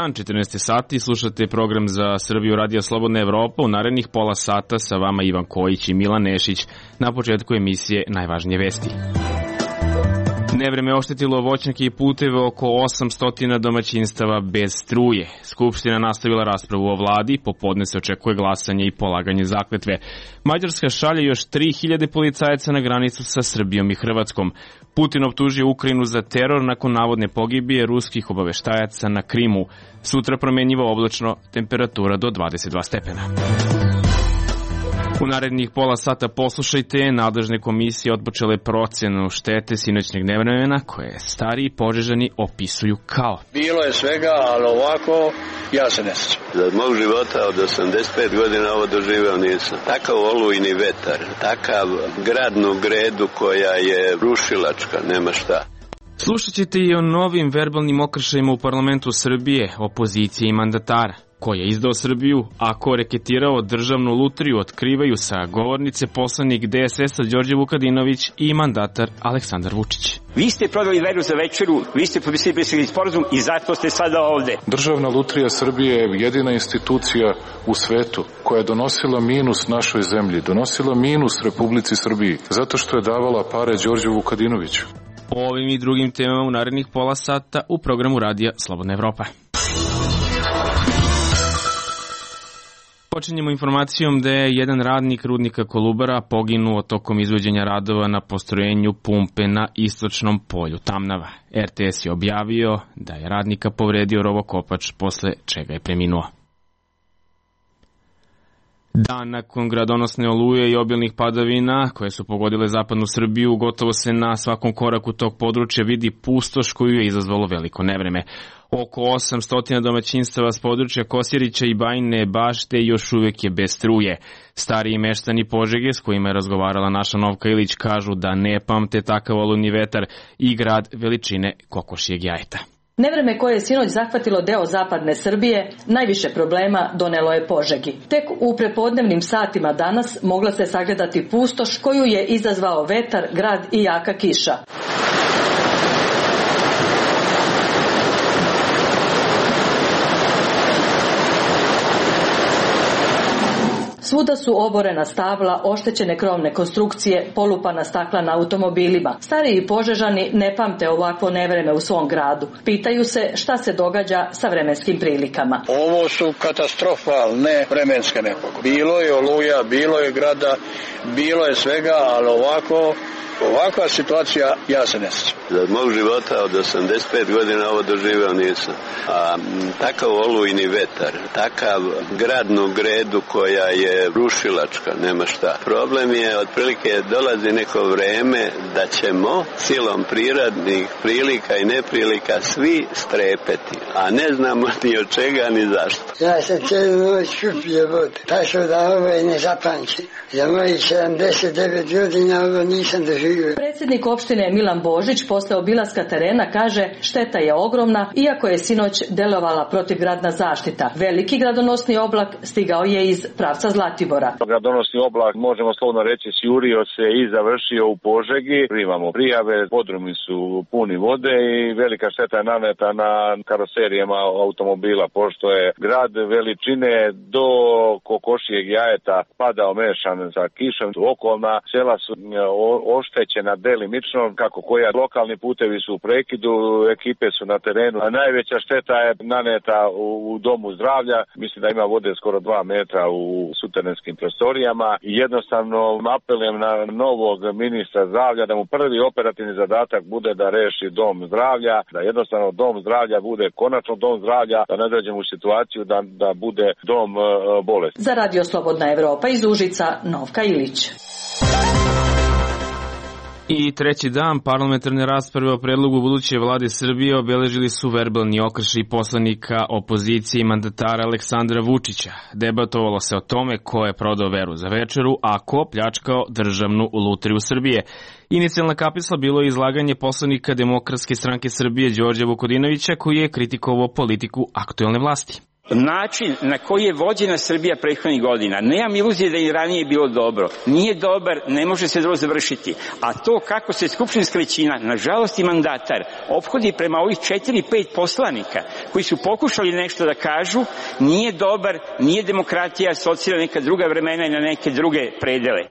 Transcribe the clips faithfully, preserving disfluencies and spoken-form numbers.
dan, četrnaest sati, slušate program za Srbiju Radio Slobodna Evropa. U narednih pola sata sa vama Ivan Kojić i Milan Nešić. Na početku emisije najvažnije vesti. Nevreme oštetilo voćnjake i puteve oko osamsto domaćinstava bez struje. Skupština nastavila raspravu o vladi, popodne se očekuje glasanje i polaganje zakletve. Mađarska šalje još tri hiljade policajaca na granicu sa Srbijom i Hrvatskom. Putin optužio Ukrajinu za teror nakon navodne pogibije ruskih obaveštajaca na Krimu. Sutra promenjivo oblačno, temperatura do dvadeset dva stepena. U narednih pola sata poslušajte, nadležne komisije otpočele procenu štete sinoćnjeg nevremena koje stariji Požežani opisuju kao: bilo je svega, ali ovako ja se ne sjećam. Za mog života od osamdeset pet godina ovo doživeo nisam. Takav olujni vetar, takav gradnu gredu koja je rušilačka, nema šta. Slušat ćete i o novim verbalnim okršajima u parlamentu Srbije, opozicije i mandatara. Ko je izdao Srbiju, a ko reketirao državnu lutriju, otkrivaju sa govornice poslanik D S S-a Đorđe Vukadinović i mandatar Aleksandar Vučić. Vi ste prodali veru za večeru, vi ste potpisali sporazum i zato ste sada ovde. Državna lutrija Srbije je jedina institucija u svetu koja je donosila minus našoj zemlji, donosila minus Republici Srbiji, zato što je davala pare Đorđu Vukadinoviću. O ovim i drugim temama u narednih pola sata u programu Radija Slobodna Evropa. Počinjemo informacijom da je jedan radnik rudnika Kolubara poginuo tokom izvođenja radova na postrojenju pumpe na istočnom polju Tamnava. R T S je objavio da je radnika povredio rovokopač, posle čega je preminuo. Dan nakon gradonosne oluje i obilnih padavina koje su pogodile zapadnu Srbiju, gotovo se na svakom koraku tog područja vidi pustoš koju je izazvalo veliko nevreme. Oko osamsto domaćinstava s područja Kosjerića i Bajine Bašte još uvek je bez struje. Stariji meštani Požege s kojima je razgovarala naša Novka Ilić kažu da ne pamte takav olujni vetar i grad veličine kokošjeg jajeta. Nevreme koje je sinoć zahvatilo deo zapadne Srbije, najviše problema donelo je Požegi. Tek u prepodnevnim satima danas mogla se sagledati pustoš koju je izazvao vetar, grad i jaka kiša. Svuda su oborena stabla, oštećene krovne konstrukcije, polupana stakla na automobilima. Stariji Požežani ne pamte ovakvo nevreme u svom gradu. Pitaju se šta se događa sa vremenskim prilikama. Ovo su katastrofalne vremenske nepogode. Bilo je oluja, bilo je grada, bilo je svega, ali ovako... Ovakva situacija, ja se ne sjećam. Za mog života od osamdeset pet godina ovo doživeo nisam. A takav olujni vetar, takav gradnu gredu koja je rušilačka, nema šta. Problem je, otprilike dolazi neko vreme da ćemo silom prirodnih prilika i neprilika svi strepeti, a ne znamo ni od čega ni zašto. Ja sam cijelu noć šupio vodu, tako da ovo je nezapamćeno. Za mojih sedamdeset devet godina ovo nisam doživio. Predsjednik opštine Milan Božić posle obilaska terena kaže šteta je ogromna, iako je sinoć delovala protivgradna zaštita. Veliki gradonosni oblak stigao je iz pravca Zlatibora. Gradonosni oblak, možemo slobodno reći, sjurio se i završio u Požegi. Primamo prijave, podrumi su puni vode i velika šteta je naneta na karoserijama automobila, pošto je grad veličine do kokošijeg jajeta padao mešan sa kišom. Okolna sela su oštećena delimično, kako koja lokalni putevi su u prekidu, ekipe su na terenu, a najveća šteta je naneta u, u domu zdravlja. Mislim da ima vode skoro dva metra u suterenskim prostorijama i jednostavno apelujem na novog ministra zdravlja da mu prvi operativni zadatak bude da reši dom zdravlja, da jednostavno dom zdravlja bude konačno dom zdravlja, da ne dođemo u situaciju da, da bude dom uh, bolesti. Za Radio Slobodna Evropa iz Užica, Novka Ilić. I treći dan parlamentarne rasprave o predlogu buduće vlade Srbije obeležili su verbalni okršaj poslanika opozicije i mandatara Aleksandra Vučića. Debatovalo se o tome ko je prodao veru za večeru, a ko pljačkao državnu lutriju Srbije. Inicijalna kapisla bilo je izlaganje poslanika Demokratske stranke Srbije Đorđa Vukadinovića, koji je kritikovao politiku aktuelne vlasti. način na koji je vođena Srbija prethodnih godina, nemam iluzije da i ranije bilo dobro, nije dobar, ne može se dobro završiti. A to kako se skupštinska većina, nažalost i mandatar, ophodi prema ovih četiri, pet poslanika koji su pokušali nešto da kažu, nije dobar, nije demokratija, asocira neka druga vremena i na neke druge predele.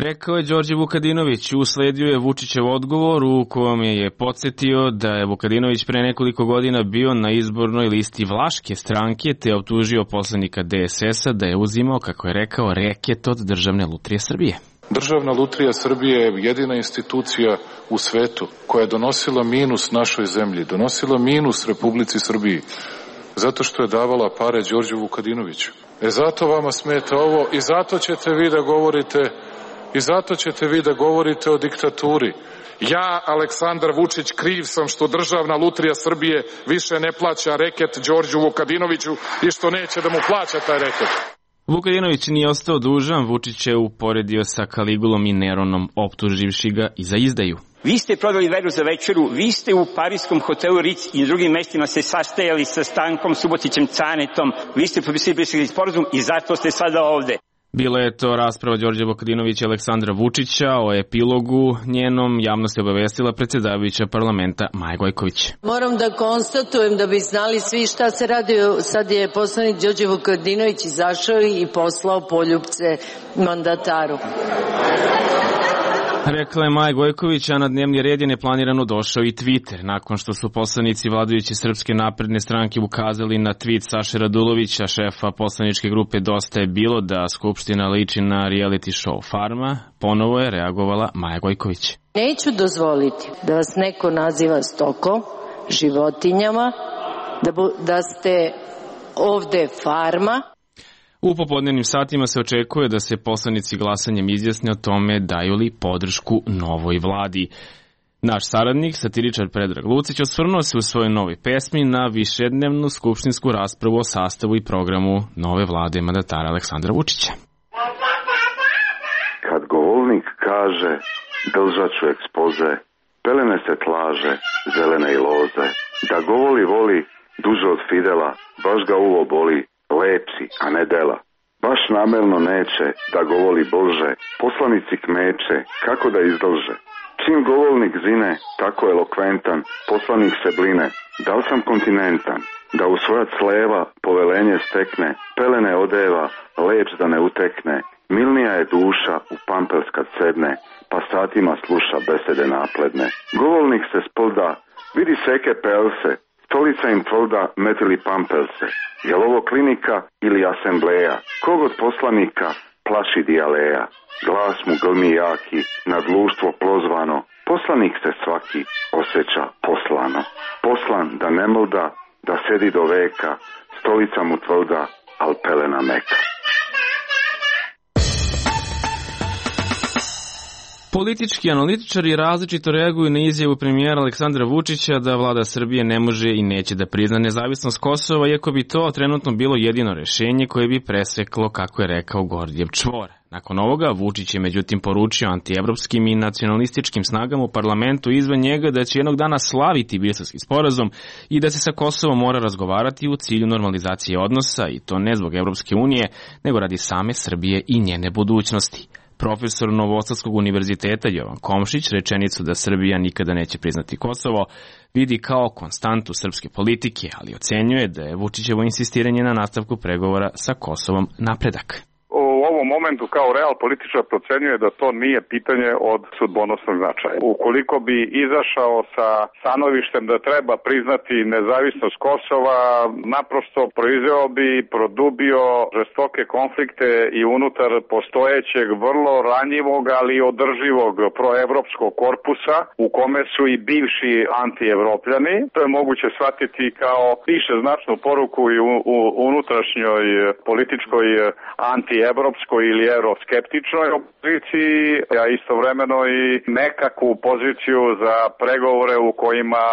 Rekao je Đorđe Vukadinović. Usledio je Vučićev odgovor u kojem je podsjetio da je Vukadinović pre nekoliko godina bio na izbornoj listi Vlaške stranke te optužio poslanika D S S-a da je uzimao, kako je rekao, reket od Državne lutrije Srbije. Državna lutrija Srbije je jedina institucija u svetu koja je donosila minus našoj zemlji, donosila minus Republici Srbiji, zato što je davala pare Đorđu Vukadinoviću. E zato vama smeta ovo i zato ćete vi da govorite I zato ćete vi da govorite o diktaturi. Ja, Aleksandar Vučić, kriv sam što Državna lutrija Srbije više ne plaća reket Đorđu Vukadinoviću i što neće da mu plaća taj reket. Vukadinović nije ostao dužan, Vučić je uporedio sa Kaligulom i Neronom, optuživši ga i za izdaju. Vi ste prodali veru za večeru, vi ste u parijskom hotelu Ritz i drugim mestima se sastajali sa Stankom Subotićem Canetom, vi ste potpisali sporazum i zato ste sada ovde. Bila je to rasprava Đorđa Vukadinovića i Aleksandra Vučića. O epilogu njenom javnost je obavestila predsjedavajuća parlamenta Maja Gojković. Moram da konstatujem da bi znali svi šta se radi. Sad je poslanik Đorđe Vukadinović izašao i poslao poljupce mandataru. Rekla je Maja Gojković, a na dnevni red je neplanirano došao i Twitter. Nakon što su poslanici vladajuće Srpske napredne stranke ukazali na tweet Saše Radulovića, šefa poslaničke grupe Dosta je bilo, da Skupština liči na reality show Farma, ponovo je reagovala Maja Gojković. Neću dozvoliti da vas neko naziva stokom, životinjama, da, bu, da ste ovde farma. U popodnevnim satima se očekuje da se poslanici glasanjem izjasne o tome daju li podršku novoj vladi. Naš saradnik, satiričar Predrag Lucić, osvrnuo se u svojoj novoj pesmi na višednevnu skupštinsku raspravu o sastavu i programu nove vlade mandatara Aleksandra Vučića. Kad govornik kaže držat ću ekspoze, pelene se tlaže, zelene i loze, da govoli voli duže od Fidela, baš ga uvo boli, lepsi, a ne dela. Baš namerno neće da govoli Bože, poslanici kmeče, kako da izdolže. Čim govornik zine, tako elokventan, poslanik se bline, da li sam kontinentan, da u svojac leva povelenje stekne, pelene odeva, leč da ne utekne, milnija je duša u pampers kad sedne, pa satima sluša besede napledne. Govornik se spolda, vidi seke pelse, stolica im tvrda metili pampelse. Je li ovo klinika ili asembleja? Kog od poslanika plaši dijaleja? Glas mu grmi jaki, na društvo prozvano. Poslanik se svaki osjeća poslano. Poslan da ne mrda, da sedi do veka, stolica mu tvrda, al pelena meka. Politički analitičari različito reaguju na izjavu premijera Aleksandra Vučića da vlada Srbije ne može i neće da prizna nezavisnost Kosova, iako bi to trenutno bilo jedino rešenje koje bi preseklo, kako je rekao, Gordijev čvor. Nakon ovoga, Vučić je međutim poručio antievropskim i nacionalističkim snagama u parlamentu izvan njega da će jednog dana slaviti Briselski sporazum i da se sa Kosovom mora razgovarati u cilju normalizacije odnosa, i to ne zbog Evropske unije, nego radi same Srbije i njene budućnosti. Profesor Novosadskog univerziteta Jovan Komšić rečenicu da Srbija nikada neće priznati Kosovo vidi kao konstantu srpske politike, ali ocenjuje da je Vučićevo insistiranje na nastavku pregovora sa Kosovom napredak. U ovom momentu kao real političar procenjuje da to nije pitanje od sudbonosnog značaja. Ukoliko bi izašao sa stanovištem da treba priznati nezavisnost Kosova, naprosto proizveo bi, produbio žestoke konflikte i unutar postojećeg vrlo ranjivog, ali održivog proevropskog korpusa u kome su i bivši antievropljani. To je moguće shvatiti kao više značnu poruku i u, u unutrašnjoj političkoj antievropskoj ili euroskeptičnoj opoziciji, a istovremeno i nekakvu poziciju za pregovore u kojima,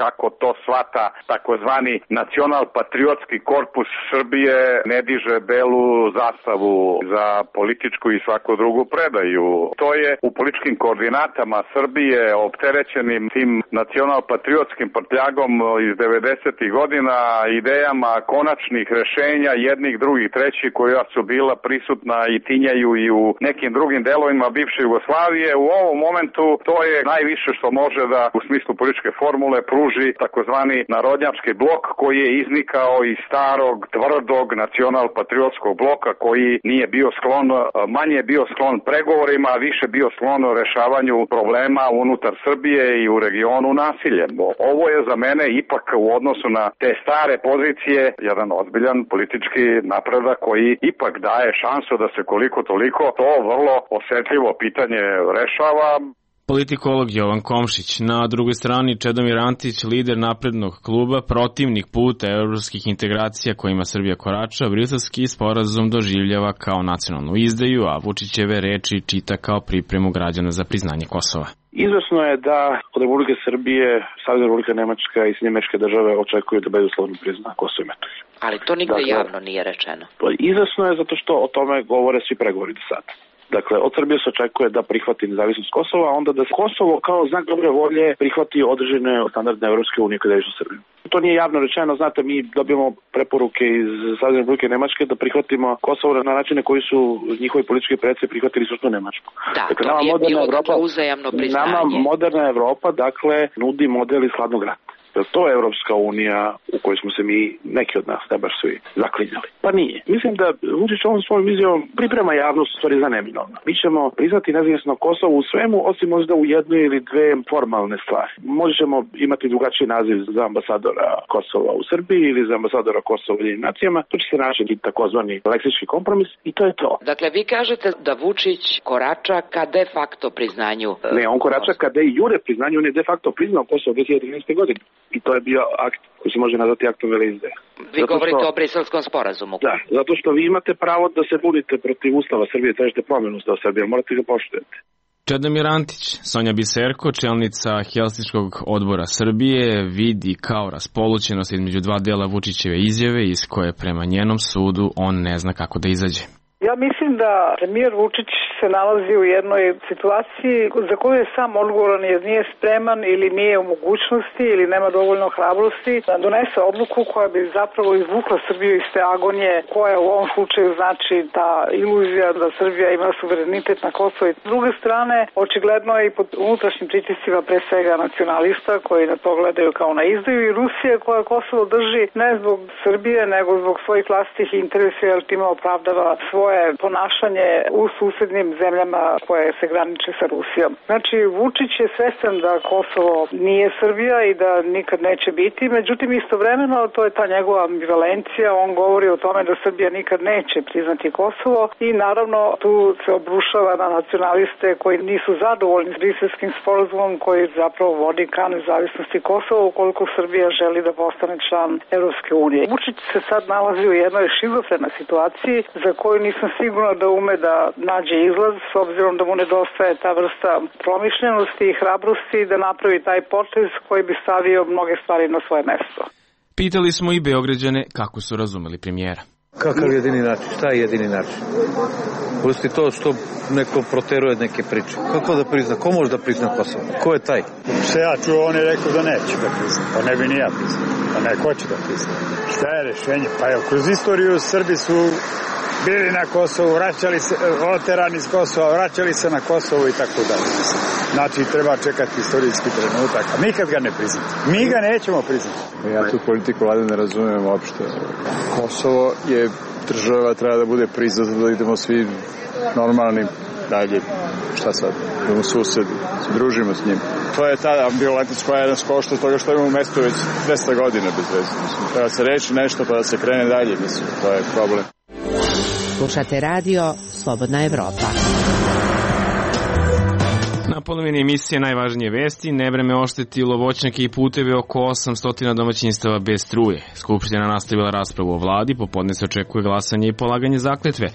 kako to shvata takozvani nacional-patriotski korpus Srbije, ne diže belu zastavu za političku i svaku drugu predaju. To je u političkim koordinatama Srbije, opterećenim tim nacional-patriotskim prtljagom iz devedesetih godina, idejama konačnih rešenja jednih, drugih, trećih, koja su bila prisutna i tinjaju i u nekim drugim delovima bivše Jugoslavije. U ovom momentu to je najviše što može da u smislu političke formule pruži takozvani narodnjački blok, koji je iznikao iz starog, tvrdog nacional-patriotskog bloka, koji nije bio sklon, manje je bio sklon pregovorima, a više bio sklon rešavanju problema unutar Srbije i u regionu nasiljem. Ovo je za mene ipak u odnosu na te stare pozicije jedan ozbiljan politički napredak koji ipak daje šansu da se koliko toliko to vrlo osetljivo pitanje rešava. Politikolog Jovan Komšić. Na drugoj strani Čedomir Antić, lider naprednog kluba, protivnik puta evropskih integracija kojima Srbija korača, briselski sporazum doživljava kao nacionalnu izdaju, a Vučićeve reči čita kao pripremu građana za priznanje Kosova. Izvesno je da od Republike Srbije, Savezna Republika Nemačka i Sjedinjene Američke Države očekuju da bezuslovno prizna Kosovo i Metohiju. Ali to nigde dakle, javno nije rečeno. Izvesno je zato što o tome govore svi pregovori do sada. Dakle, od Srbije se očekuje da prihvati nezavisnost Kosova, a onda da Kosovo kao znak dobre volje prihvati određene standardne Evropske unije kada je u Srbiju. To nije javno rečeno, znate, mi dobijemo preporuke iz Savezne Republike Nemačke da prihvatimo Kosovo na načine koji su njihovi politički predsednici prihvatili suštvu Nemačku. Da, dakle, to nama nije moderna bilo Evropa, dakle uzajamno priznanje. Nama moderna Evropa, dakle, nudi model iz hladnog rata. To je Evropska unija u kojoj smo se mi, neki od nas, ne baš svi, zaklinjali. Pa nije. Mislim da Vučić ovom svojom vizijom priprema javnost stvari za neminovno. Mi ćemo priznati nezavisno Kosovo u svemu, osim možda u jednoj ili dve formalne stvari. Možda ćemo imati drugačiji naziv za ambasadora Kosova u Srbiji ili za ambasadora Kosova u Ujedinjenim nacijama. To će se naći takozvani leksički kompromis i to je to. Dakle, vi kažete da Vučić korača ka de facto priznanju. Ne, on korača ka de jure priznanju, on je de facto priznao Kosovo dve hiljade trinaeste. godine. I to je bio akt koji se može nazvati aktom veleizdaje. Vi zato govorite što, o Briselskom sporazumu. Da, zato što vi imate pravo da se bunite protiv Ustava Srbije, tražite promenu Ustava Srbije, morate ga poštujete. Čedomir Antić, Sonja Biserko, čelnica Helsinškog odbora Srbije, vidi kao raspolućenost između dva dela Vučićeve izjave iz koje prema njenom sudu on ne zna kako da izađe. Ja mislim da premijer Vučić se nalazi u jednoj situaciji za koju je sam odgovoran jer nije spreman ili nije u mogućnosti ili nema dovoljno hrabrosti da donese odluku koja bi zapravo izvukla Srbiju iz te agonije koja u ovom slučaju znači ta iluzija da Srbija ima suverenitet na Kosovo. S druge strane, očigledno je i pod unutrašnjim pritiscima pre svega nacionalista koji na to gledaju kao na izdaju i Rusije koja Kosovo drži ne zbog Srbije nego zbog svojih vlastitih interesa jer time opravdava svoje ponašanje u susednim zemljama koje se graniče sa Rusijom. Znači, Vučić je svestan da Kosovo nije Srbija i da nikad neće biti, međutim istovremeno to je ta njegova ambivalencija, on govori o tome da Srbija nikad neće priznati Kosovo i naravno tu se obrušava na nacionaliste koji nisu zadovoljni s Briselskim sporazumom koji zapravo vodi ka nezavisnosti Kosova ukoliko Srbija želi da postane član Evropske unije. Vučić se sad nalazi u jednoj šizofrenoj situaciji za koju nisam sigurno da ume da nađe izlaz s obzirom da mu nedostaje ta vrsta promišljenosti i hrabrosti da napravi taj potez koji bi stavio mnoge stvari na svoje mesto. Pitali smo i Beograđane kako su razumeli premijera. Kakav jedini način? Šta je jedini način? Pusti to što neko proteruje neke priče. Kako da prizna? Ko može da prizna Kosovo? Ko je taj? Se ja čuo, on je rekao da neće da prizna. Pa ne bi ni ja priznao. Pa neko će da prizna. Šta je rešenje? Pa evo, kroz istoriju Srbi su bili na Kosovu, vraćali se, oterani iz Kosova, vraćali se na Kosovo i tako dalje. Znači, treba čekati istorijski trenutak, a nikad ga ne priznati. Mi ga nećemo priznati. Ja tu politiku vlade ne razumijem uopšte. Kosovo je država, treba da bude priznata da idemo svi normalni dalje. Šta sad? Idemo susedi, se družimo s njim. To je ta ambivalentnost koja je nas košta toga što imamo mesto već dvesta godina bez veze. Treba se reći nešto pa da se krene dalje, mislim, to je problem. Slušate radio Slobodna Evropa. Na polovini emisije najvažnije vesti, nevreme oštetilo voćnjake i puteve oko osamsto domaćinstava bez struje. Skupština nastavila raspravu o vladi, popodne se očekuje glasanje i polaganje zakletve.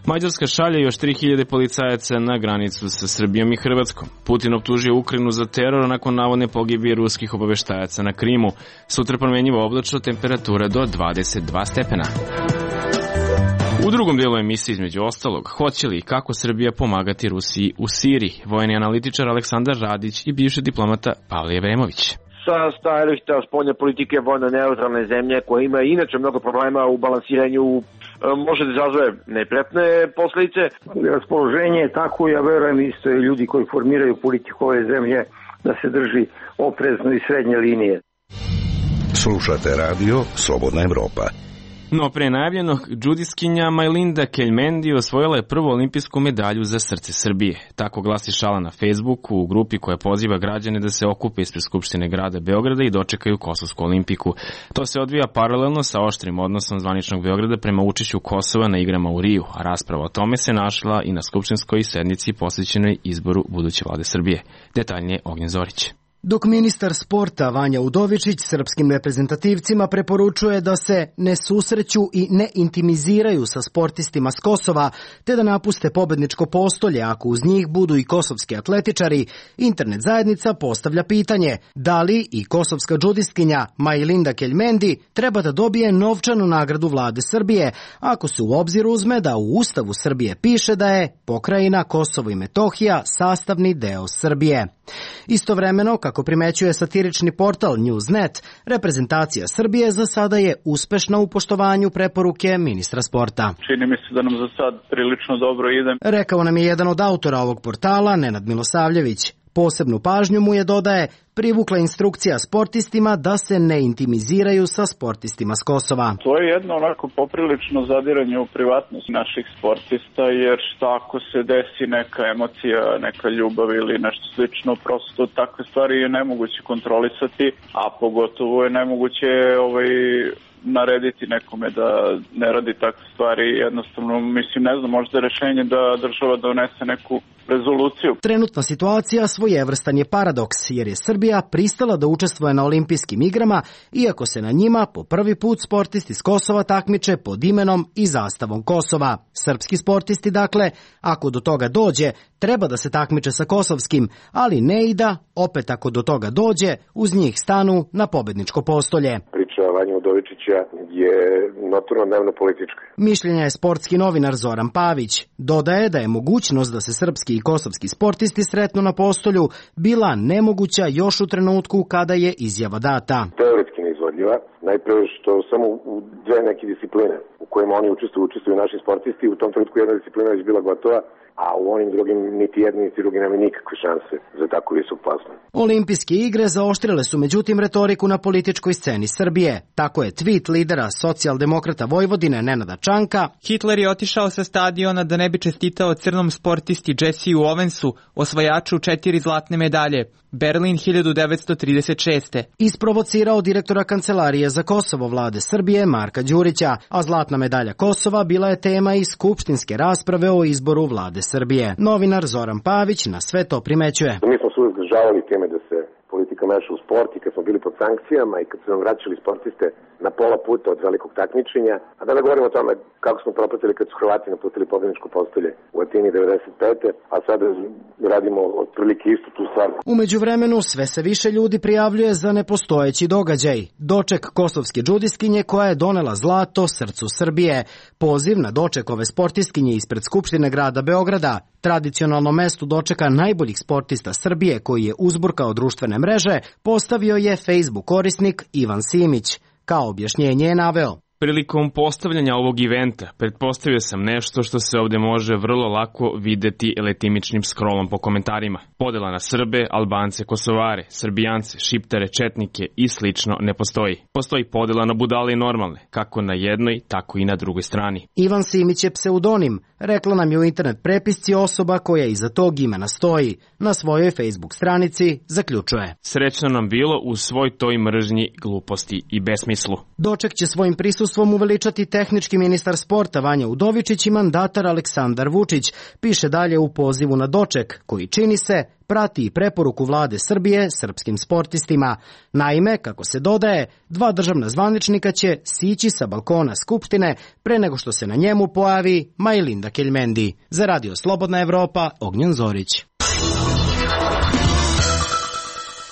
Mađarska šalje još tri hiljade policajaca na granicu sa Srbijom i Hrvatskom. Putin optužio Ukrajinu za teror nakon navodne pogibije ruskih obaveštajaca na Krimu. Sutra promenjivo oblačno, temperatura do dvadeset dva stepena. U drugom delu emisije, između ostalog, hoće li i kako Srbija pomagati Rusiji u Siriji, vojni analitičar Aleksandar Radić i bivši diplomata Pavle Evremović. Sa stajališta spoljne politike vojno neutralne zemlje, koja ima inače mnogo problema u balansiranju, može da izazove neprijatne posledice. Raspoloženje je tako, ja verujem isto i ljudi koji formiraju politiku ove zemlje, da se drži oprezno i srednje linije. Slušate radio Slobodna Evropa. No pre najavljenog, džudiskinja Majlinda Keljmendi osvojila je prvu olimpijsku medalju za srce Srbije. Tako glasi šala na Facebooku u grupi koja poziva građane da se okupe ispred Skupštine grada Beograda i dočekaju Kosovsku olimpiku. To se odvija paralelno sa oštrim odnosom zvaničnog Beograda prema učešću Kosova na igrama u Riju, a rasprava o tome se našla i na skupštinskoj sednici posvećenoj izboru buduće vlade Srbije. Detaljnije Ognjen Zorić. Dok ministar sporta Vanja Udovičić srpskim reprezentativcima preporučuje da se ne susreću i ne intimiziraju sa sportistima s Kosova, te da napuste pobedničko postolje ako uz njih budu i kosovski atletičari, internet zajednica postavlja pitanje da li i kosovska džudistkinja Majlinda Keljmendi treba da dobije novčanu nagradu vlade Srbije, ako se u obzir uzme da u Ustavu Srbije piše da je pokrajina Kosovo i Metohija sastavni deo Srbije. Istovremeno, kako primećuje satirični portal Newsnet, reprezentacija Srbije za sada je uspešna u poštovanju preporuke ministra sporta. Čini mi se da nam za sad prilično dobro ide. Rekao nam je jedan od autora ovog portala, Nenad Milosavljević. Posebnu pažnju mu je, dodaje, privukla instrukcija sportistima da se ne intimiziraju sa sportistima s Kosova. To je jedno onako poprilično zadiranje u privatnost naših sportista, jer šta ako se desi neka emocija, neka ljubav ili nešto slično, prosto takve stvari je nemoguće kontrolisati, a pogotovo je nemoguće ovaj, narediti nekome da ne radi takve stvari. Jednostavno, mislim, ne znam, možda je rešenje da država donese neku rezoluciju. Trenutna situacija svojevrstan je paradoks, jer je Srbija pristala da učestvuje na olimpijskim igrama, iako se na njima po prvi put sportisti s Kosova takmiče pod imenom i zastavom Kosova. Srpski sportisti, dakle, ako do toga dođe, treba da se takmiče sa kosovskim, ali ne i da, opet ako do toga dođe, uz njih stanu na pobedničko postolje. Priča Vanja Udovičića je notorno dnevno politička. Mišljenja je sportski novinar Zoran Pavić. Dodaje da je mogućnost da se srpski i kosovski sportisti sretnu na postolju bila nemoguća još u trenutku kada je izjava data. Teoretski neizvodljiva, najprve što samo u dve neke discipline u kojima oni učestvuju, učestvuju naši sportisti, u tom trenutku jedna disciplina već bila gotova, a u onim drugim niti jedni niti drugi nema nikakve šanse za tako visok plasman. Olimpijske igre zaoštrile su međutim retoriku na političkoj sceni Srbije. Tako je tweet lidera socijaldemokrata Vojvodine Nenada Čanka: Hitler je otišao sa stadiona da ne bi čestitao crnom sportisti Jessiju Owensu, osvajaču četiri zlatne medalje. Berlin hiljadu devetsto trideset šeste. Isprovocirao direktora Kancelarije za Kosovo vlade Srbije Marka Đurića, a zlatna medalja Kosova bila je tema i skupštinske rasprave o izboru vlade Srbije. Novinar Zoran Pavić na sve to primećuje. Mi smo se uvijek državali teme da se politika meša u sport i kad smo bili pod sankcijama i kad su nam vraćali sportiste na pola puta od velikog takmičenja, a da ne govorimo o tome kako smo propatili kad su Hrvati napustili pobedničko postolje u Atini devedeset pete. a sada radimo otprilike istu tu stvar. U međuvremenu sve se više ljudi prijavljuje za nepostojeći događaj. Doček kosovske džudistkinje koja je donela zlato srcu Srbije. Poziv na doček ove sportistkinje ispred Skupštine grada Beograda, tradicionalno mesto dočeka najboljih sportista Srbije koji je uzburkao društvene mreže, postavio je Facebook korisnik Ivan Simić. Kao objašnjenje je naveo: Prilikom postavljanja ovog eventa pretpostavio sam nešto što se ovde može vrlo lako videti letimičnim scrollom po komentarima. Podela na Srbe, Albance, Kosovare, Srbijance, Šiptare, Četnike i slično ne postoji. Postoji podela na budale i normalne, kako na jednoj, tako i na drugoj strani. Ivan Simić je pseudonim, rekla nam je u internet prepisci osoba koja iza tog imena stoji. Na svojoj Facebook stranici zaključuje: Srećno nam bilo u svoj toj mržnji, gluposti i besmislu. Doček će svojim prisustvom prisustvom uveličati tehnički ministar sporta Vanja Udovičić i mandatar Aleksandar Vučić, piše dalje u pozivu na doček, koji čini se prati i preporuku vlade Srbije srpskim sportistima. Naime, kako se dodaje, dva državna zvaničnika će sići sa balkona Skupštine pre nego što se na njemu pojavi Majlinda Keljmendi. Za Radio Slobodna Evropa, Ognjen Zorić.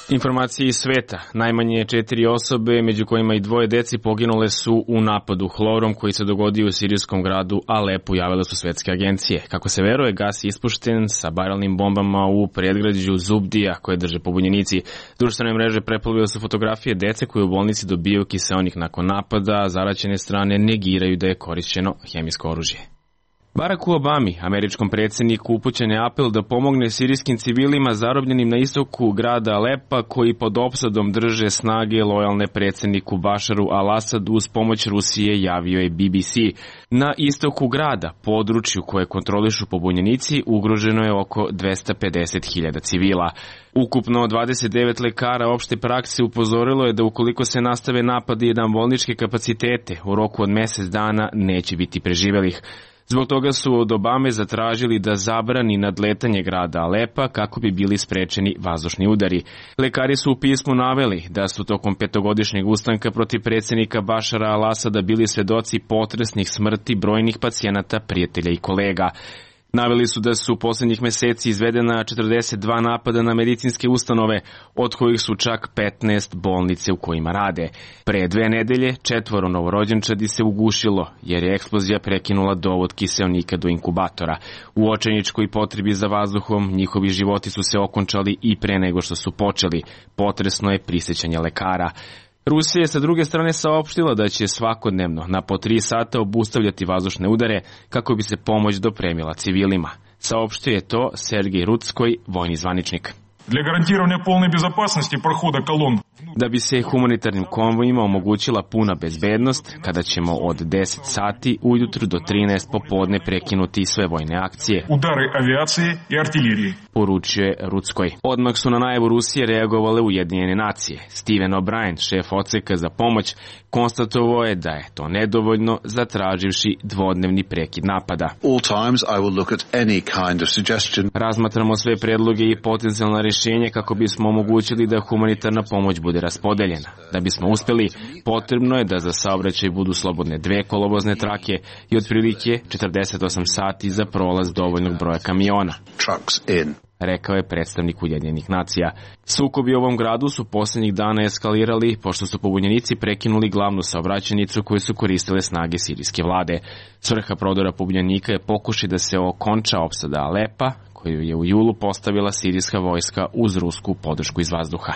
Informacije iz sveta. Najmanje četiri osobe, među kojima i dvoje deci, poginule su u napadu hlorom koji se dogodio u sirijskom gradu Alepu, javile su svetske agencije. Kako se veruje, gas je ispušten sa barelnim bombama u predgrađu Zubdija koje drže pobunjenici. Društvene mreže preplavile su fotografije dece koje u bolnici dobijaju kiseonik nakon napada, a zaraćene strane negiraju da je korišćeno hemijsko oružje. Baracku Obami, američkom predsjedniku, upućen je apel da pomogne sirijskim civilima zarobljenim na istoku grada Alepa koji pod opsadom drže snage lojalne predsjedniku Bašaru al-Asadu uz pomoć Rusije, javio je B B C. Na istoku grada, području koje kontrolišu pobunjenici, ugroženo je oko dvesta pedeset hiljada civila. Ukupno dvadeset devet lekara opšte prakse upozorilo je da ukoliko se nastave napadi na bolničke kapacitete, u roku od mjesec dana neće biti preživelih. Zbog toga su od Obame zatražili da zabrani nadletanje grada Alepa kako bi bili sprečeni vazdušni udari. Lekari su u pismu naveli da su tokom petogodišnjeg ustanka protiv predsjednika Bašara al-Asada bili svedoci potresnih smrti brojnih pacijenata, prijatelja i kolega. Naveli su da su u posljednjih meseci izvedena četrdeset dva napada na medicinske ustanove, od kojih su čak petnaest bolnice u kojima rade. Pre dve nedelje četvoro novorođenčadi se ugušilo, jer je eksplozija prekinula dovod kiseonika do inkubatora. U očajničkoj potrebi za vazduhom njihovi životi su se okončali i pre nego što su počeli. Potresno je prisjećanje lekara. Rusija je sa druge strane saopštila da će svakodnevno na po tri sata obustavljati vazdušne udare kako bi se pomoć dopremila civilima. Saopštio je to Sergej Rutskoj, vojni zvaničnik. Для гарантирования полной безопасности прохода колонн. Da bi se humanitarnim konvojima omogućila puna bezbednost, kada ćemo od deset sati ujutru do trinaest popodne prekinuti sve vojne akcije. Udari avijacije i artiljerije. Poručuje Rutskoj. Odmah su na najavu Rusije reagovale Ujedinjene nacije. Steven O'Brien, šef odseka za pomoć, konstatovao je da je to nedovoljno, zatraživši dvodnevni prekid napada. All times I will look at any kind of suggestion. Razmatramo sve predloge i potencijalna rješenja kako bismo omogućili da humanitarna pomoć bude raspodeljena. Da bismo uspjeli, potrebno je da za saobraćaj budu slobodne dve kolovozne trake i otprilike četrdeset osam sati za prolaz dovoljnog broja kamiona. Trucks in. Rekao je predstavnik Ujedinjenih nacija. Sukobi u ovom gradu su posljednjih dana eskalirali pošto su pobunjenici prekinuli glavnu saobraćajnicu koju su koristile snage sirijske vlade. Svrha prodora pobunjenika je pokušaj da se okonča opsada Alepa, koju je u julu postavila sirijska vojska uz rusku podršku iz vazduha.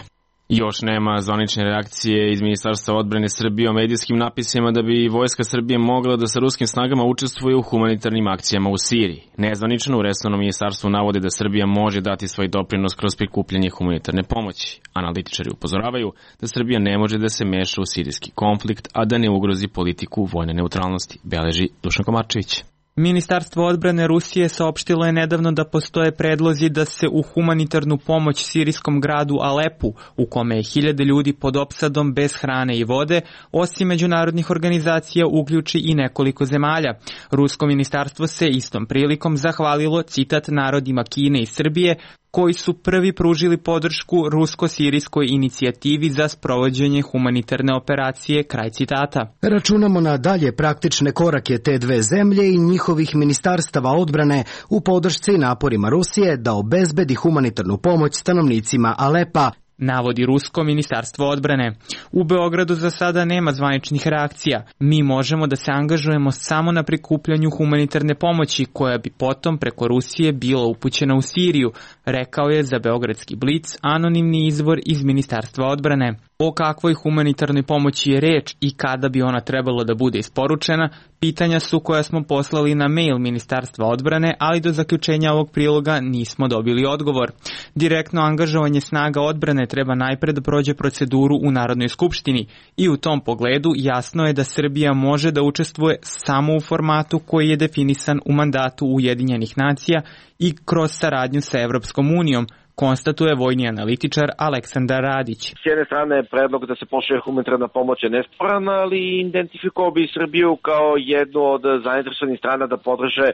Još nema zvanične reakcije iz Ministarstva odbrane Srbije o medijskim napisima da bi vojska Srbije mogla da sa ruskim snagama učestvuje u humanitarnim akcijama u Siriji. Nezvanično u resornom ministarstvu navode da Srbija može dati svoj doprinos kroz prikupljanje humanitarne pomoći. Analitičari upozoravaju da Srbija ne može da se meša u sirijski konflikt, a da ne ugrozi politiku vojne neutralnosti, beleži Dušan Komarčević. Ministarstvo odbrane Rusije saopštilo je nedavno da postoje predlozi da se u humanitarnu pomoć sirijskom gradu Alepu, u kome je hiljade ljudi pod opsadom bez hrane i vode, osim međunarodnih organizacija uključi i nekoliko zemalja. Rusko ministarstvo se istom prilikom zahvalilo, citat, narodima Kine i Srbije, koji su prvi pružili podršku rusko-sirijskoj inicijativi za sprovođenje humanitarne operacije, kraj citata. Računamo na dalje praktične korake te dve zemlje i njihovih ministarstava odbrane u podršci naporima Rusije da obezbedi humanitarnu pomoć stanovnicima Alepa, navodi Rusko ministarstvo odbrane. U Beogradu za sada nema zvaničnih reakcija. Mi možemo da se angažujemo samo na prikupljanju humanitarne pomoći koja bi potom preko Rusije bila upućena u Siriju, rekao je za Beogradski Blic anonimni izvor iz Ministarstva odbrane. O kakvoj humanitarnoj pomoći je reč i kada bi ona trebalo da bude isporučena, pitanja su koja smo poslali na mail Ministarstva odbrane, ali do zaključenja ovog priloga nismo dobili odgovor. Direktno angažovanje snaga odbrane treba najpre da prođe proceduru u Narodnoj skupštini i u tom pogledu jasno je da Srbija može da učestvuje samo u formatu koji je definisan u mandatu Ujedinjenih nacija i kroz saradnju sa Evropskom unijom, konstatuje vojni analitičar Aleksandar Radić. S jedne strane je predlog da se pošalje humanitarna pomoć je nesporan, ali identifikovao bi Srbiju kao jednu od zainteresovanih strana da podrže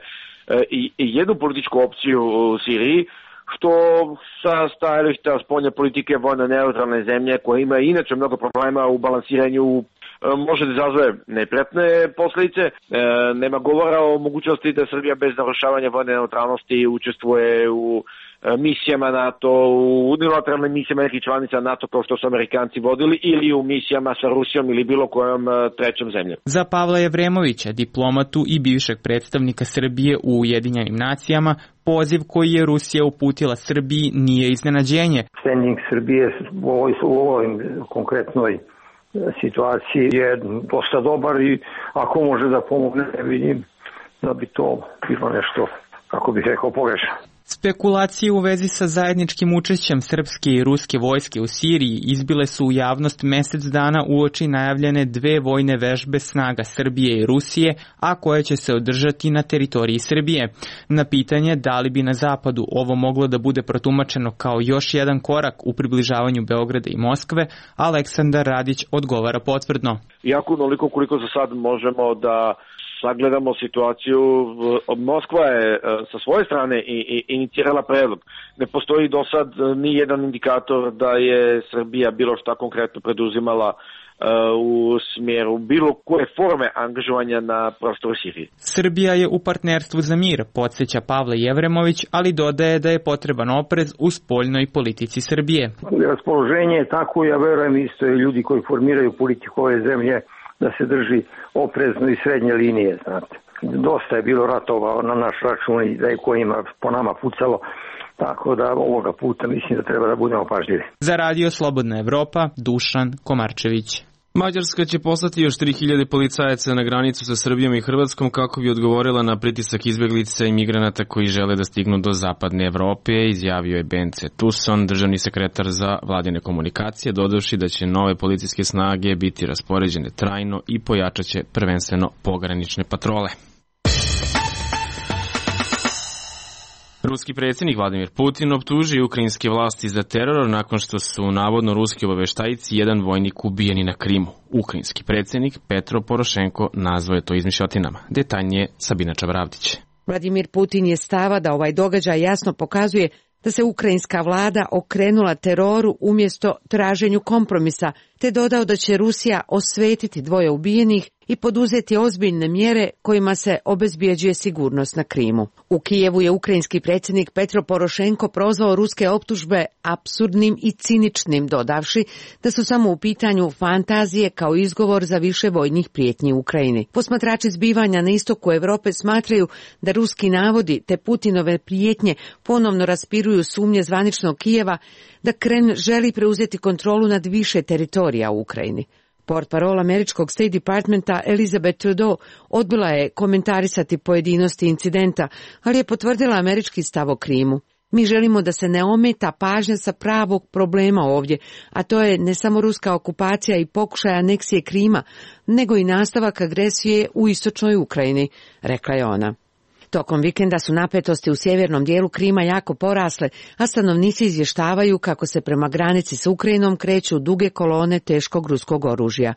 i jednu političku opciju u Siriji, što sa stajališta spoljne politike vojno neutralne zemlje koja ima inače mnogo problema u balansiranju može da izazove neprijatne posledice. E, nema govora o mogućnosti da Srbija bez narušavanja vojne neutralnosti učestvuje u misijama NATO, u unilateralnim misijama nekih članica NATO kao što su Amerikanci vodili ili u misijama sa Rusijom ili bilo kojom trećom zemljom. Za Pavla Jevremovića, diplomatu i bivšeg predstavnika Srbije u Ujedinjenim nacijama, poziv koji je Rusija uputila Srbiji nije iznenađenje. Standing Srbije u ovoj, u ovoj konkretnoj situaciji je dosta dobar i ako može da pomogne, ne vidim da bi to bilo nešto, kako bih rekao, pogrešno. Spekulacije u vezi sa zajedničkim učešćem srpske i ruske vojske u Siriji izbile su u javnost mesec dana uoči najavljene dve vojne vežbe snaga Srbije i Rusije, a koje će se održati na teritoriji Srbije. Na pitanje da li bi na zapadu ovo moglo da bude protumačeno kao još jedan korak u približavanju Beograda i Moskve, Aleksandar Radić odgovara potvrdno. Iako onoliko koliko za sad možemo da sagledamo situaciju, Moskva je sa svoje strane i, i, inicirala predlog. Ne postoji do sad ni jedan indikator da je Srbija bilo šta konkretno preduzimala uh, u smjeru bilo koje forme angažovanja na prostoru Sirije. Srbija je u partnerstvu za mir, podsjeća Pavle Jevremović, ali dodaje da je potreban oprez u spoljnoj politici Srbije. Raspoloženje je tako, ja verujem isto i ljudi koji formiraju politiku ove zemlje, da se drži oprezno i srednje linije, znate. Dosta je bilo ratova na naš račun i da je kojima po nama pucalo, tako da ovoga puta mislim da treba da budemo pažljivi. Za Radio Slobodna Evropa, Dušan Komarčević. Mađarska će poslati još tri hiljade policajaca na granicu sa Srbijom i Hrvatskom kako bi odgovorila na pritisak izbjeglica i migranata koji žele da stignu do zapadne Evrope, izjavio je Bence Tuson, državni sekretar za vladine komunikacije, dodavši da će nove policijske snage biti raspoređene trajno i pojačat će prvenstveno pogranične patrole. Ruski predsjednik Vladimir Putin optužio ukrajinske vlasti za teror nakon što su navodno ruski obaveštajci jedan vojnik ubijeni na Krimu. Ukrajinski predsjednik Petro Porošenko nazvao je to izmišljotinama. Detaljnije Sabina Čavravdić. Vladimir Putin je stava da ovaj događaj jasno pokazuje da se ukrajinska vlada okrenula teroru umjesto traženju kompromisa, te dodao da će Rusija osvetiti dvoje ubijenih i poduzeti ozbiljne mjere kojima se obezbjeđuje sigurnost na Krimu. U Kijevu je ukrajinski predsjednik Petro Porošenko prozvao ruske optužbe apsurdnim i ciničnim, dodavši da su samo u pitanju fantazije kao izgovor za više vojnih prijetnji u Ukrajini. Posmatrači zbivanja na istoku Europe smatraju da ruski navodi te Putinove prijetnje ponovno raspiruju sumnje zvaničnog Kijeva da Kreml želi preuzeti kontrolu nad više teritorija u Ukrajini. Portparol američkog State Departmenta Elizabeth Trudeau odbila je komentarisati pojedinosti incidenta, ali je potvrdila američki stav o Krimu. Mi želimo da se ne ometa pažnja sa pravog problema ovdje, a to je ne samo ruska okupacija i pokušaj aneksije Krima, nego i nastavak agresije u istočnoj Ukrajini, rekla je ona. Tokom vikenda su napetosti u sjevernom dijelu Krima jako porasle, a stanovnici izvještavaju kako se prema granici s Ukrajinom kreću duge kolone teškog ruskog oružja.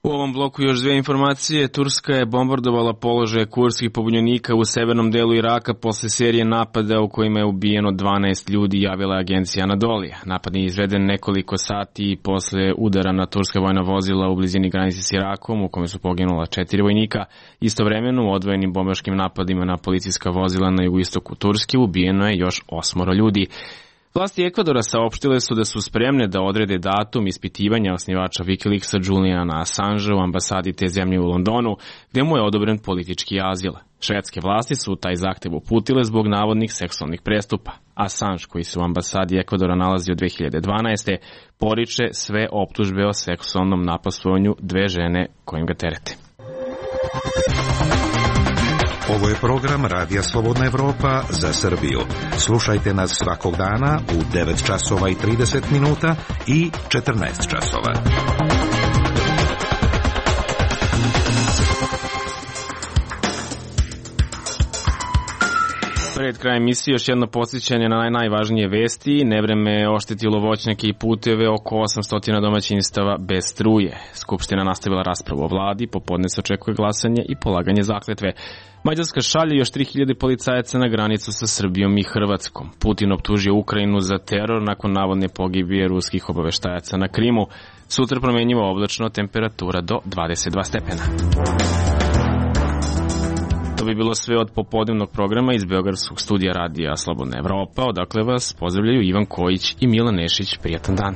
U ovom bloku još dvije informacije. Turska je bombardovala položaje kurdskih pobunjenika u severnom delu Iraka posle serije napada u kojima je ubijeno dvanaest ljudi, javila agencija Anadolija. Napad je izveden nekoliko sati posle udara na turska vojna vozila u blizini granice s Irakom, u kome su poginula četiri vojnika. Istovremeno u odvojenim bombaškim napadima na policijska vozila na jugoistoku Turske ubijeno je još osmoro ljudi. Vlasti Ekvadora saopštile su da su spremne da odrede datum ispitivanja osnivača Wikileaksa Juliana Assangea u ambasadi te zemlje u Londonu, gde mu je odobren politički azil. Švedske vlasti su taj zahtev uputile zbog navodnih seksualnih prestupa. Assange, koji se u ambasadi Ekvadora nalazi od dve hiljade dvanaeste. poriče sve optužbe o seksualnom napastovanju dve žene kojim ga terete. Ovo je program Radija Slobodna Evropa za Srbiju. Slušajte nas svakog dana u devet časova i trideset minuta i četrnaest časova. Pred krajem emisije još jedno podsjećanje na najvažnije vesti. Nevreme je oštetilo voćnjake i puteve, oko osamsto domaćinstava bez struje. Skupština nastavila raspravu o vladi, popodne se očekuje glasanje i polaganje zakletve. Mađarska šalje još tri hiljade policajaca na granicu sa Srbijom i Hrvatskom. Putin optužio Ukrajinu za teror nakon navodne pogibije ruskih obaveštajaca na Krimu. Sutra promenjivo oblačno, temperatura do dvadeset dva stepena. To bi bilo sve od popodnevnog programa iz Beogradskog studija radija Slobodna Evropa, odakle vas pozdravljaju Ivan Kojić i Milan Nešić. Prijatan dan.